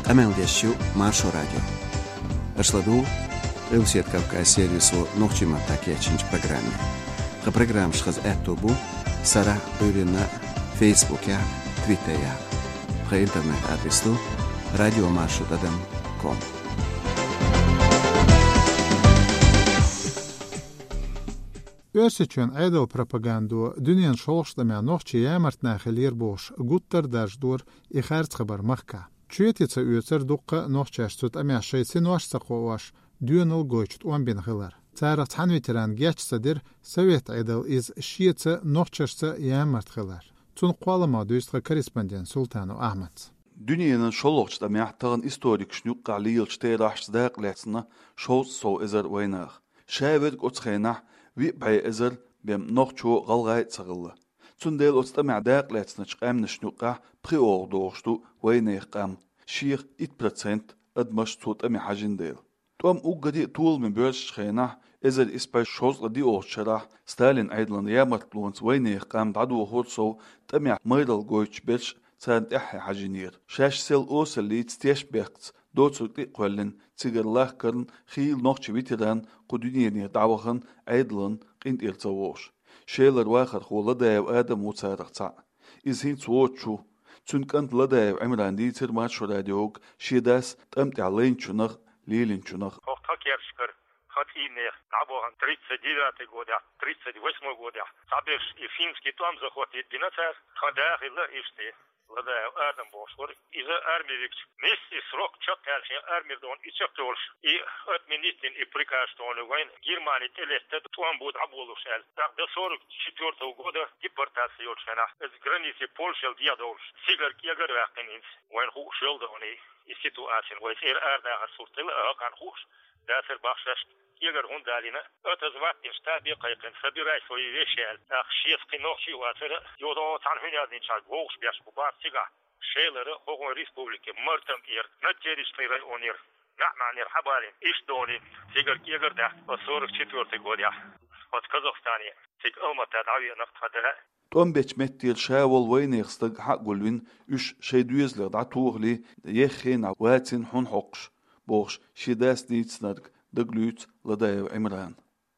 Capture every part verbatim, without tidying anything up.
Къамел деш ю Маршо радио. Аша ладугӀу Къилбаседа Кавказ сервисо нохчийн маттахь кечйинчу программе. Тхан программаш хаза аьтто бу сарахь, Ӏуьйранна, Фейсбукехь, Твиттерехь. Тхан интернет-адрес ду радиомаршо тӀадам ком. Оьрсийчоьнан Ӏедалан пропагандо дуьненан шолгӀачу тӀамехь нохчий ямарт нах хилира бохуш, гуттар а даржадора и харц хабар махкахь. Чоьте ца оьцура дуккха а нохчаш цу тӀамехь шайн синош а ца кхоош, доьналла гойтуш тӀом бина хилар. Царах цхьана ветерана геч ца дира, совет Ӏедал иза шеца, нохчашца ямарт хилар. Цунах кхолламах дуьйцу тхан корреспондент Султанов Ахьмада. Дуьненан шолгӀачу тӀамехь тахана историкашна юккъехь лелачу терахьашца дакъа лаьцна шовзткъа сов эзар вайнах. Ша верг оцу хенахь виъ бӀе эзар бен нохчо а, гӀалгӀай а ца хилла. Цундела оцу тӀамехь дакъа лаьцначу къаьмнашна юккъехь пхиогӀу догӀуш ду вайнехан къам, шех итт процент адамаш цу тӀаме хьажина дела. ТӀом уггаре а толаме боьрзучу хенахь, эзар исс бӀе шовзткъе диъолгӀачу шарахь, Сталинан Ӏедалан ямартлонца вайнехан къам дӀадохура сов, тӀамехь майралла гойтуш берш царна тӀаьххье хьажийнера. Шаьш сел осаллица, тешнабехкаца доцург тӀе а кхоьллина, цигара лахкарна хийла нохчийн ветеран кху дуьненера дӀавахана, Ӏедалан къинтӀера ца вогӀуш. Шелара вахархо Ладаев Адам ву царах цхьаъ. Иза хӀинца воцуш ву. Цуьнан кӀанта Ладаев Ӏимрана дийцира Маршо радиога шен дас тӀам тӀехь лайначунах, лелийначунах. ХӀокху тхан керташкара, тхан цӀийннех дӀабахана тридцать девятый годехь, тридцать восьмой годехь, цхьаберш и финский тӀом захватить бина цара, тхан да хилла иштта. Ладаев Адам бохуш вара. Иза арми вигча, миссис Рок чекхъяьлла шен армира дона и чекхйолуш, и отменить дина и приказ дона вайна Германи тӀелетта тӀом бу дӀаболуш аьлла. ТӀаккха до сорок четвёртого года депортация йолчу хенахь, иза граници Польшел дехьадовлуш, цигара кегара а ваьккхина хӀинца. Вайна хууш йолу дона и ситуацина, вай цӀера арадахар сурт хилла а, хӀокхарна хууш дацара бах шаьш. Кегара хӀунда далийна, отозвать деш, табе кхайкхина, собирай свои вещи аьлла. ТӀаккха шеца кхин нохчи а вацара, юха цхьана хӀун яздинчарга вовшах беш бу бах цигахь. Шелара, хӀокхуьнан республике, Мартан тӀера, Надтерийский районера, МаьӀ-МаьӀнера хьабалийна, иштта дона, цигара кегара даьхна, оцу сорок четвёртый годехь, оцу Казахстане, цига Алмата дӀавеана тхан да. ТӀом бечу меттера ша волу вайнехан стаг хьа а гулвина, уьш шайн доьзалех дӀатохале, еххенахь вацина хьуна хьокхуш, бохуш, шен дас дийцинарг дагалуьйцу Ладаев Ӏимрана.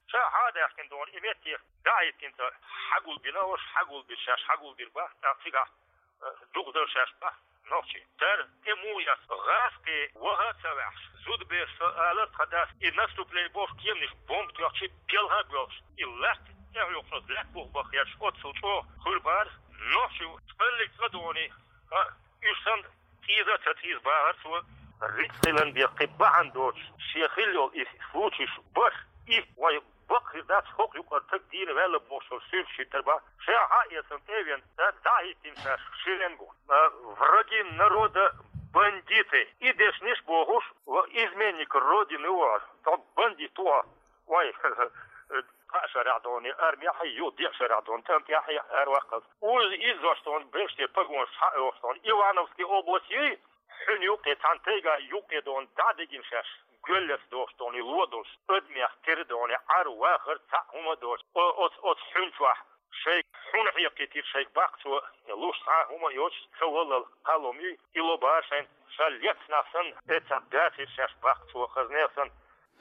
Ша хьа а даьхкина дона и метте, дӀахӀиттина ца хьагулбина, уьш хьагулбина, шаьш хьагулбина бах, тӀаккха цигахь, э, дукха дара шаьш бах нохчий. Цара тӀе муха эцна, гӀазкхий ваха а ца ваьхьаш, зудабераш ца алара тхан дас, и наступление бохуш кеманаш бомба тоьхча, белха а боьлхуш, и латта тӀехьоьхуш, лаьтта бух баха хеташ, оццул чӀогӀа хуьлу бара нохчий, цкъа а цкъа дона, а, уьш санна, цӀийза а ца цӀийза бахара цо, рицкъ хиларна бен кхин бахьана доцуш, шен хилла йолу и случайш баш, и вай бакъ хир дац, хӀокху юкъара стаг дийна ваьлла бохуш йолу суьрташ хӀиттар бах. Ша хьа а эцна тӀе а веана, цара дӀа а хӀиттина шаьш шеренго. А, враги народа, бандиты. И дешнаш бохуш, ва изменник Родины ву хьо, хьо бандит ву хьо. Вай, кхаа шарахь дона армехь, ю, деа шарахь дона тӀамтехь араваккхалц. Уьш иззош дона, берш те погонаш схьа а йохуш дона. Ивановский область юй, хьуьнан юккъе, цхьана тайга юккъе дона, дӀа а дигина шаьш, гоьллаца дохуш дона, ло долуш, адамех тера дона, Ӏар вахар цхьаъ хӀума а доцуш, о-, оцу, оцу хьуьнан чохь шайга хьуна хьекхийтира шайга баккха цо, луш цхьа а хӀума а йоцуш, ца валлал кхаллам юй, и ло бара шайна, ша лецна нах санна, эцна дацийра шаьш баккха цо, хаза нехан санна.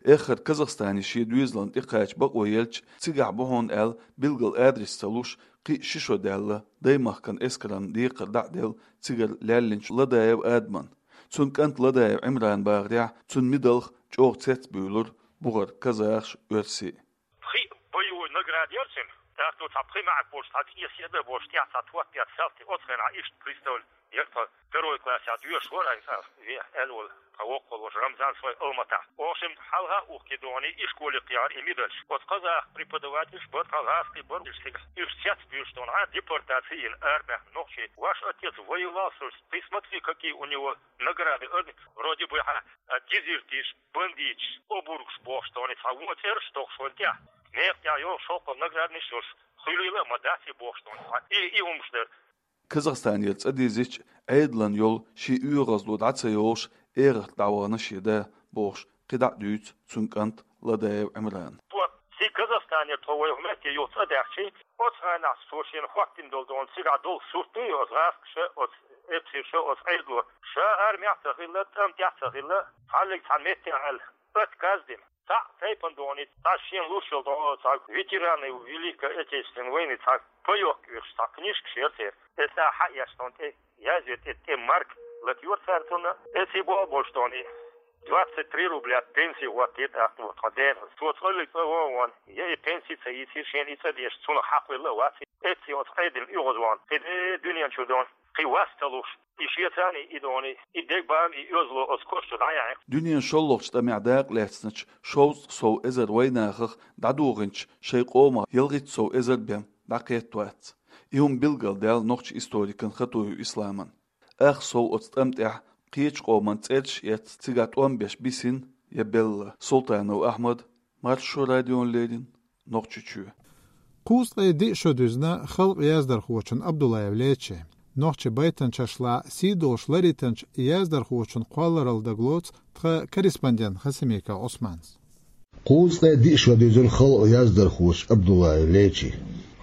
Эххар Казахстане шен доьзална тӀекхача бакъо елча, цигахь бу хьуна аьлла, билггал адрес ца луш, кхин а ши шо даьлла, даймахкан эскаран декхар дӀа а делла, цигара лаьллинчу Ладаев Адаман. Цуьнан кӀанта Ладаев Ӏимрана бахарехь, цуьнан мидалх чӀогӀа цецбуьйлура бухара казахаш, оьрсий. Пхи боевой награда яра цуьнан. ТӀаккха цхьа пхи маьӀак болуш, цхьа цӀе седа болуш, тӀехь цхьа тот беца салти, оцу хенахь иштта представление яра тхан. Второй классехь доьшуш вара, аса ве аьлла волу тхан воккхалла ваша Рамзан, шой Алматахь. Охшим хьалха а ухкидоне и школе кхиара и медальш. Оцу казах преподавательш бара, тхан гӀазкхий бара уьш цига. Уьш цецбуьйлуш дона, а, депортаци йина арабаьхна нохчий. Ваш отец воевал, слушай, ты смотри, какие у него награды, вроде бы, а, дезертирш, бандиташ, обургаш бохуш дона, цхьа вон цӀераш тохуш ван тӀехь. Некъа тӀехь йолу шовкъал награднаш йолуш, хуьлийла а ма дац и бохуш дона, цхьа и, и хӀумаш дара. Казахстанера цӀа дезича, Ӏедалан йолу шен оьгӀазло дӀа ца йолуш, эгӀарта дӀавахана шен да, бохуш, кхидӀа а дуьйцу цуьнан кӀанта Ладаев Ӏимрана. Цо, цига Казах-, Танера тхо вай хӀуманна тӀе юха цӀа даьхчий, оцу ханахь цо шена хӀоттийна долу дона цигахь долу сурт ду оцу гӀазкхаша, оцу эпсарша, оцу Ӏедало. Ша армехь а ца хилла, тӀам тӀехь а ца хилла, хьаллиг цхьана меттехь аьлла, отказ дина. Цхьаъ тайпана дона, цхьа шена луш йолу дона, цхьа ветераны Великой Отечественной войны цхьа пайохка оьшуш цхьа книжка шера церан. Эцна хьаэш дона тӀе, язъе тӀе, тӀе марка латайора цара цунна. Эций болх болуш дона, двадцать три рубля пенсий хӀоттийра тӀаккха тхо дена. Цо цкъа а цкъа вон а вон, я и пенсий ца йийцира шена, и цӀа деш, цунах хьакхвелла а вац. Эций оцу Ӏедална оьгӀазвахна, кхин дуьнен чу дона, кхин вас ца луш. И шеца а и дона, и дегабам, и оьзло оцу кошчу дӀаяьхьна. Дуьненан шолгӀачу тӀамехь дакъа лаьцначу шовзткъа сов эзар вайнахах дӀадохийначу шайн къомах ялхитта сов эзар бен дӀакхетта вац. И хӀума билгалдаьлла нохчийн историкан Хатуев Исламан. Ах сов оцу тӀам тӀехь кхечу къоман цӀераш а эцна, цигахь тӀом беш бисина я белла. Султанов Ахьмад, Маршо радиона леррина, Нохчийчоь. Кхузткъе диъ шо дуьзна халкъан яздархочун Абдуллаев Лечин. Нохчийн байтанчашлахь сий долуш ларъйитинчу яздархочун кхолларалла дагалоцу тхан корреспондента Хасимиков Ӏусмана. Кхузткъе диъ шо дуьзна халкъан яздархочун Абдуллаев Лечин.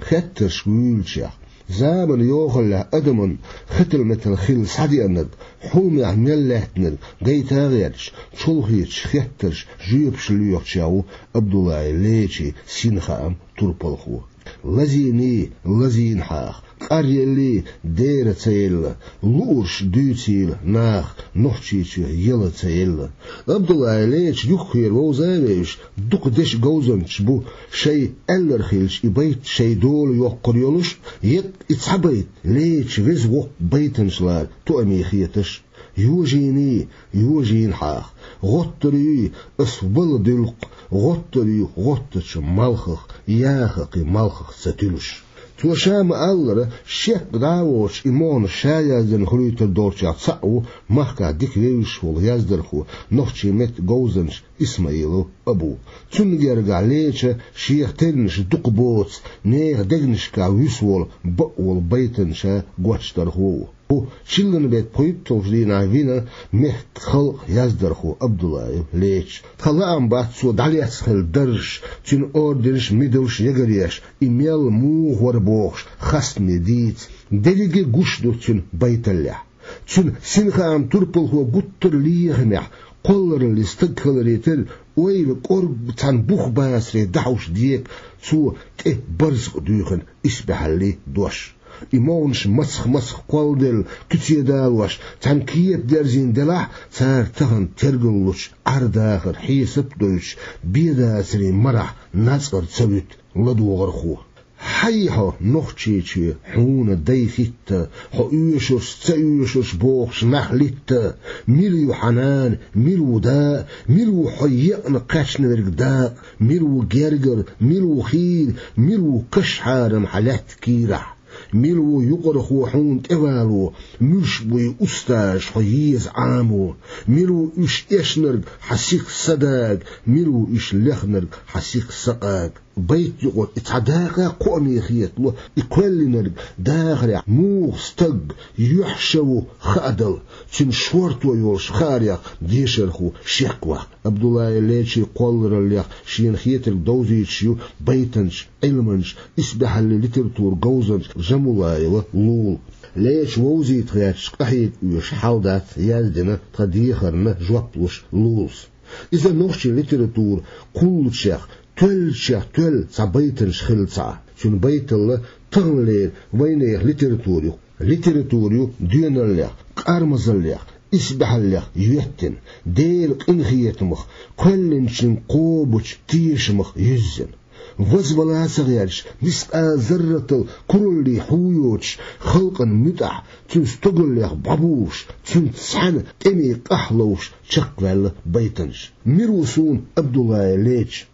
Хеттарш вуьйлучех, заманан йохаллехь адаман хетал-метал хилла схьадеанарг, хьуламехь мел лаьттинарг гайта а гӀерташ, чолхечу хеттарша жоьпаш лоьхучех ву Абдуллаев Лечин синхаам турпалхо. Лазийний, лазийна хьаха, къаръеллий, дера ца елла, луурш дуьйцийла наха, Нохчийчоь яла ца елла. Абдуллаев Леча юххера вовза а вевзаш, дукха дешан говзанчаш бу шайн аьлларг хилча и байт шайн дола йоккхур йолуш, еккъа и цхьа байт Леча веза воккху байтанчалара тоаме хеташ. Йожийний, йожийна хьаха, гӀоттур юй ас вала дуьлкъ, гӀоттур ю гӀоттачу малхах, яха кхин малхах ца туьлуш. Цо ша ма-аллара, шек дӀа а воцуш, и могӀанаш ша яздина хуьлуьйтур долчех цхьаъ ву махкахь дика вевзаш волу яздархо, нохчийн меттан говзанча Исмаилов Абу. Цунна гергахь Леча шех тернаш дукха боцу, нехан дегнашкахь вуьсу волу, бакъ волу байтанча гочдархо ву. Ву, чиллан беттан пхийтталгӀачу дийнахь вина мехкан халкъан яздархо Абдуллаев Леча. Тхан лаам бац цо дӀалецна хилла даржаш, цуьнан орденаш, медалаш, ягареш, и мел муха вара бохуш, хастаме дийца. Дерриге гуш ду цуьнан байталлехь. Цуьнан синхаам турпалхо гуттар а лехамехь, кхоллараллин стаг хиларе терра, ойла кӀорга цхьана бух бацаре дӀахьуш дека цо тӀе барзакъ дуьйхина исбаьхьаллин дош. И могӀанаш мацах-мацах кхолладелла, куьце далош, цхьаьна кепа дерзийна делахь а, цара тахана тергаллучу Ӏар-дахаран хьесап а дойтуш, бен дацарийн марахь нацкъара ца вуьту ладогӀархо. Хьан ю хьо, Нохчийчоь, хьуна дай хӀитта, хьо оьшурш, ца оьшурш бохуш нах литта? Мила ю хьан нана, мила ву да, мила ву хьо екъна кхаьчна верг дакъа, мила ву гергара, мила ву хийра, мила ву каш-хьарам хьан лаьтта кийрахь? Мила ву юкъархо хьуна тӀевало, муьлш буй устазаш хьо еза Ӏамо? Мила ву уьш эшнарг хьан сиха са дага, мила ву уьш лехнарг хьан сиха са къага? Байт юкъара и цхьа дакъа кхоаме хетало, и кхоьллинарг дахарехь муха стаг, юьхь-ша ву хаадала, цуьнан шорто йолуш хаарех дешархо шек ваккха. Абдуллаев Лечин кхоллараллех шена хетарг довзуьйтуш ю байтанча, Ӏилманча, исбаьхьаллин литературан говзанча Жамулаева Лула. Леча вовзийта гӀерташ къахьега оьшу хьал дац, яздина тхан дехарна жоп луш Лулас. Иза нохчийн литература кхуллучех, тоьллачех тоьлла цхьа байтанча хилла ца Ӏа. Цуьнан байталла таханлера вайнехан литература ю. Литература ю доьналлех, къармазаллех, исбаьхьаллех йоьттина, Делан къинхетамах, кхоьллинчун кхобучу тешамах юьззина. Вазвала ца гӀерташ, мискъал зарратал кураллий хьу йоцуш, халкъан муьтӀахь, цуьнан стогаллех бӀобулуш, цуьнца цхьаьна тӀеме къахьлуш чекхваьлла байтанча. Мила ву суна Абдуллаев Леча?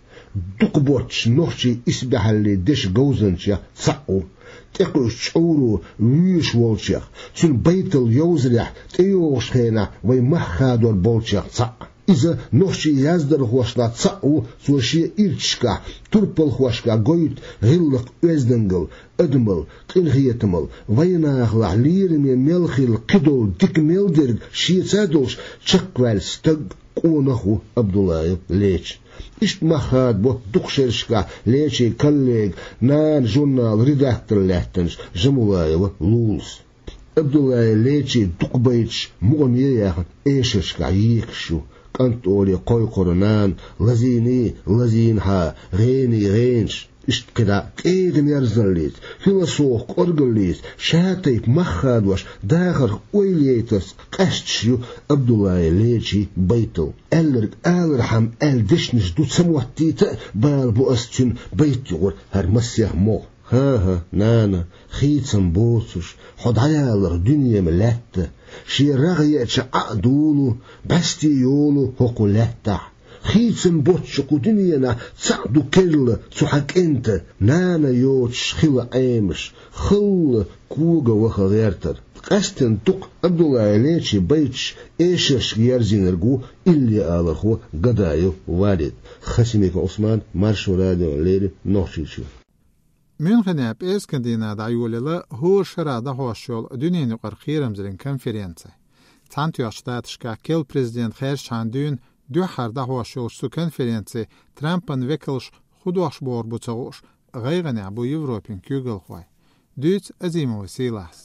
Дукха боццуш нохчийн исбаьхьаллин дешан говзанчех цхьаъ ву. ТӀекхуьуш чӀовро вуьйш волчех, цуьнан байталла йовзарехь тӀейогӀучу хенахь вай мах хадор болчех цхьаъ. Иза нохчийн яздархошлахь цхьаъ ву, цо шен ирчашкахь, турпалхошкахь гойту гӀиллакх-оьздангалла, адамалла, къинхетамалла, вайнахалахь лераме мел хилла кхидолу дика мел дерг шеца а долуш чекхваьлла стаг, къонах ву Абдуллаев Лечи. Иштта мах хадабо дукха шерашкахь Лечин коллега, «Нана» журналан редактор лаьттинчу Жамулаева Лулас. Абдуллаев Лечи дукха байташ мукъане а яьхна эшаршкахь екаш ю. «КӀант» олий кхойкхура нана, «Лазийний лазийнхьа, гӀений гӀенаш», иштта кхидӀа кӀегӀан ерзаллица, философски кӀоргаллица, шатайпа мах хадош, дахарх ойла яйтарца къаьсташ ю Абдуллаев Лечин байтал. Аьлларг алархьама аьлла дешнаш ду ца моттийта а, бала бу ас цуьнан байта юкъара хӀара массех могӀа. ХӀан-хӀа, нана, хийцам боцуш, хьо дӀаяларх дуьне ма лаьтта, шен рагӀ еача Ӏа а долу, бӀаьсте йолу хӀокху лаьттахь. Хийцам боцчу кху дуьненахь цхьаъ ду керла цу хьан кӀентан, нана йоцуш хила Ӏемаш, халла кога ваха гӀертар. Къаьсттина дукха Абдуллаев Лечин байташ эшаршка ерзийнарг ву иллиалархо Гадаев Валид. Хасимиков Ӏусман, Маршо радиона леррина, Нохчийчоь. Мюнхенехь пӀераскан дийнахь дӀайолаелла хӀора шарахь дӀахьош йолу дуьненан юкъара кхерамзаллин конференци. Цхьаьнатоьхначу Штаташкахь керла президент хаьржичхьана дуьйна дуьххьара дӀахьош йолчу цу конференци Трампан векалш хӀун дохуш бохург бу ца хууш, гӀайгӀанехь бу Европин куьйгалхой. Дуьйцу Азимова Сийлахьс.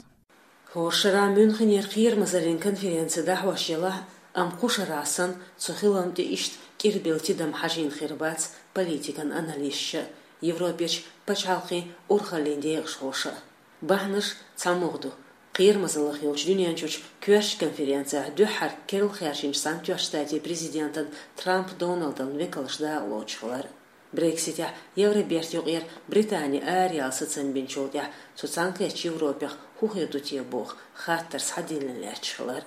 ХӀора шарахь Мюнхенера кхерамазаллин конференци дӀахьош елахь а, амма кху шарахь санна, цу хилам тӀе иштта кӀирбелла тидам хьажийна хир бац политикан аналисташа а, Европерчу пачхьалкхийн урхаллин декъашхоша а. Бахьанаш цхьа могӀа ду. Кхерамазаллах йолчу дуьнен чуьрчу коьртачу конференцехь дуьххьара керла хаьржинчу Цхьаьнатоьхначу Штатийн президентан Трамп Доналдан векалш дакъалоцуш хилар. Брекситехь Евробертан юкъера Британи араяла сацам бинчул тӀаьхьа цу цхьаьнакхеттачу Европех хӀун хир ду те боху хаттар схьадиллина лаьтташ хилар.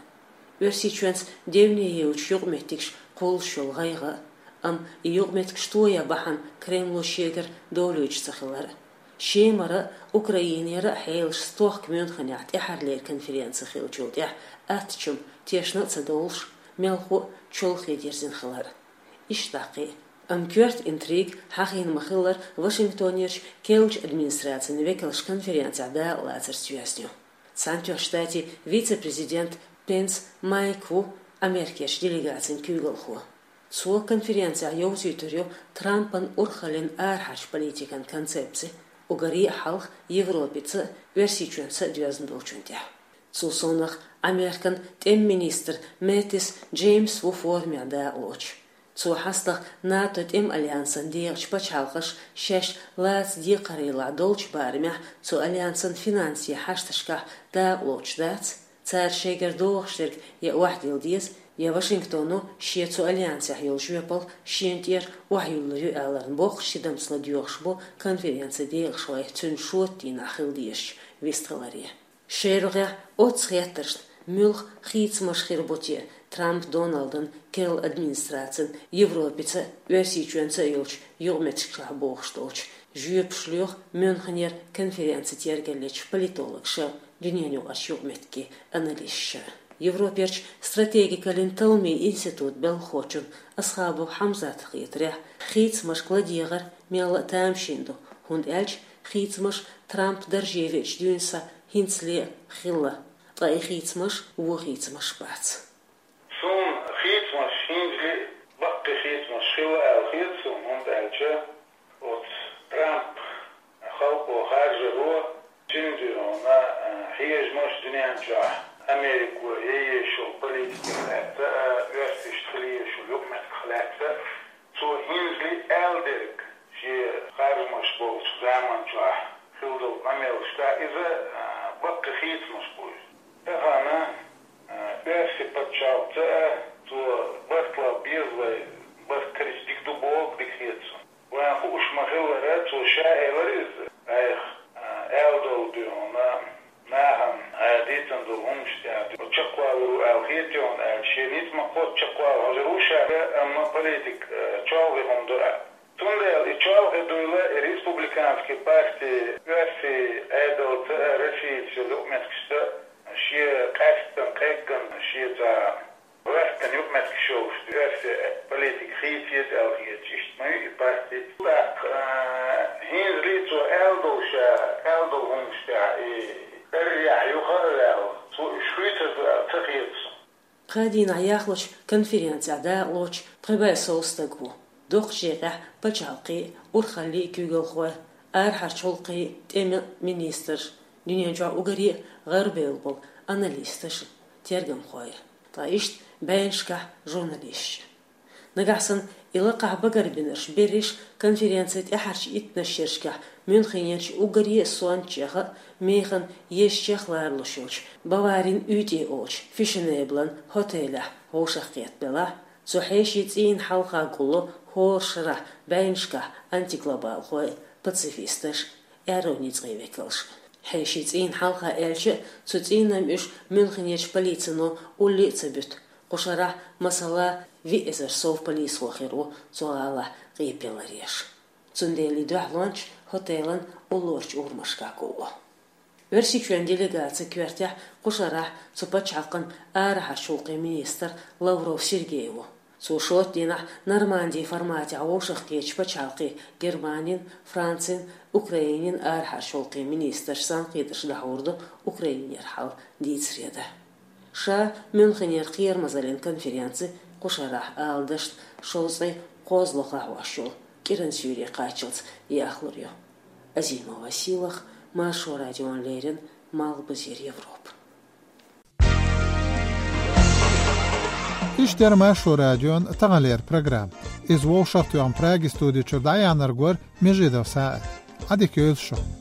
Оьрсийчоьнца девне йолчу юкъаметтигаш кхуллуш йолу гӀайгӀа а, амма и юкъаметтигаш тоян бахьана Кремло шегара довлуьйтуш ца хилар а. Шемара а, Украинера а хьелаш стохка Мюнхенехь тӀаьххьарлера конференци хиллачул тӀаьхьа аттачу тешна а ца довлуш, мелхо а чолхе дирзина хилар. Иштта даккхий. Амма коьрта интрига хьахийна ма-хиллара Вашингтонерчу керлачу администрацин векалш конференцехь дакъалацарца йоьзна ю. Цхьаьнатоьхначу Штатийн вице-президент Пенс Майк ву Америкерчу делегацин куьйгалхо. Цо конференцехь йовзуьйтур ю Трампан урхаллин арахьарчу политикан концепци, уггаре а хьалха Европица а, Оьрсийчоьнца а доьзна долчун тӀехь. Цул совнаха Американ тӀеман министр Мэттис Джеймс ву форумехь дакъалоцуш. Цо хьастагӀа НАТО тӀеман альянсан декъачу пачхьалкхаша шаьш лаца декхарийлахь долчу барамехь цу альянсан финансийн хьашташкахь дакъалоцуш дац, цара шайгара догӀуш дерг я охьадилла деза, я Вашингтоно шен цу альянсехь йолу жоьпалла шена тӀера охьаюьллур ю аьлларна боккхачу тидамца ладоьгӀуш бу конференцин декъашхой цуьнан шоттийнахь хила дезачу вистхиларе. Шайн рогӀехь оццу хеттаршна муьлха хийцамаш хир бу те Трамп Доналдан керла администрацин Европица а, Оьрсийчоьнца а йолчу юкъаметтигашкахь богӀуш долчу жоьпаш, лоьху Мюнхенера конференци тергаллечу политологаша а, дуьненаюкъарчу юкъаметтиган аналисташа а. Европерчу стратегикаллин талламийн институтан белхахочун Асхабов Хьамзатан хетарехь, хийцамашка ладегӀар мелла а тамашийна ду, хӀунда аьлча хийцамаш Трамп дарже веача дуьйна схьа хӀинцале а хилла, ткъа и хийцамаш вон хийцамаш бац. Суна хийцамаш хӀинцале а баккхий хийцамаш хилла аьлла хета суна, хӀунда аьлча оцу Трамп халкъо харжаро, цуьнан дуьхьал хьежамаш дуьнен чохь Америко ян езаш йолу политиках лаьцна а, оьрсашна хила езаш йолу юкъаметтигах лаьцна а, цо хӀинцале а аьлла дерг шен харжамаш болчу заман чохь хилла долу къамелашкахь иза, а, баккхий хийцамаш бу иза. Тахана, а, оьрсийн пачхьалкхаца а цо барт лан беза вай, барт карийча дика ду бохург дика хета суна. Вайн хууш ма-хиллара, цо ша элира иза, айхьа, а, аьлла долу дуьйна, нахана, а, дийцина долу хӀуманаш тӀехь чекхвалур ву аьлла хета, хӀунда аьлча шен ницкъ ма-кхоччу чекхвала хьожур ву ша, амма политика, а, чолхе хӀума ду аьлла. Цундела и чолхе дуйла и республиканский парти оьрсийн Ӏедалца а, Россица йолу юкъаметтигашца а шен къаьсттина, къеггина, шен цхьа гӀоьртина юкъаметтигаш йолуш оьрсийн политика хийца еза аьлла хеташ, иштта ма ю и парти. ТӀаккха, а, хӀинцале а цо аьлла долу ша, аьлла долу хӀуманаш тӀехь и эррехь юха а ваьлла, цо уьш хуьйцур ду аьлла ца хета суна. Пхи дийнахьа яхлача конференцехь дакъалоцуш пхи бӀе сов стаг ву. Дукхачу декъехь пачхьалкхийн, урхаллин куьйгалхой, арахьарчу гӀуллакхийн тӀеман министрш, дуьнен чохь уггаре а гӀарабевлла болу аналисташ, тергамхой, ткъа иштта бӀеннашкахь журналисташ. Нагахь санна и лакхахь багарбинарш берриш конференцин тӀаьхьарчу иттаннаш шерашкахь Мюнхенерчу уггаре а сонтачех а, механа езачех а ларалуш йолчу Баварин уьйтӀе олучу фешенеблан хотелехь вовшахкхетта белахь, цу хьешийн цӀийнан хьалха гулло хӀора шарахь бӀеннашкахь антиглобалхой, пацифисташ, аьрру ницкъийн векалш. Хьешийн цӀийнан хьалха аьлча а, цу цӀийнан уьш Мюнхенерчу полицино улле а ца буьту. Кху шарахь, масала, виъ эзар сов полисхо хир ву цу гӀалахь къепе ларъеш. Цундела и дуьхьалончаш хотелан уллорчу урамашкахь гулло. Оьрсийчоьнан делегацин коьртехь кху шарахь цу пачхьалкхан арахьарчу гӀуллакхийн министр Лавров Сергей ву. Цо шоттадийнахь Нормандин форматехь вовшахкхетачу пачхьалкхийн, Германин, Францин, Украинин арахьарчу гӀуллакхийн министраш санкхетарш дӀахьур ду Украинера хьал дийцаре дан. Ша Мюнхенера кхерамазаллин конференци кху шарахь ала дашна шовзткъе кхозлагӀа хьош йолу кӀиран суьйре кхаччалц яхлур ю. Азимова Силах, Маршо радиона леррина, Малхбузера Европа. Иштта яра Маршо радион таханлера программа. Иза вовшахтоьхна Праги студи чуьра дӀаяьхьнарг вара Межидов СаӀид. Ӏадика йойла шун.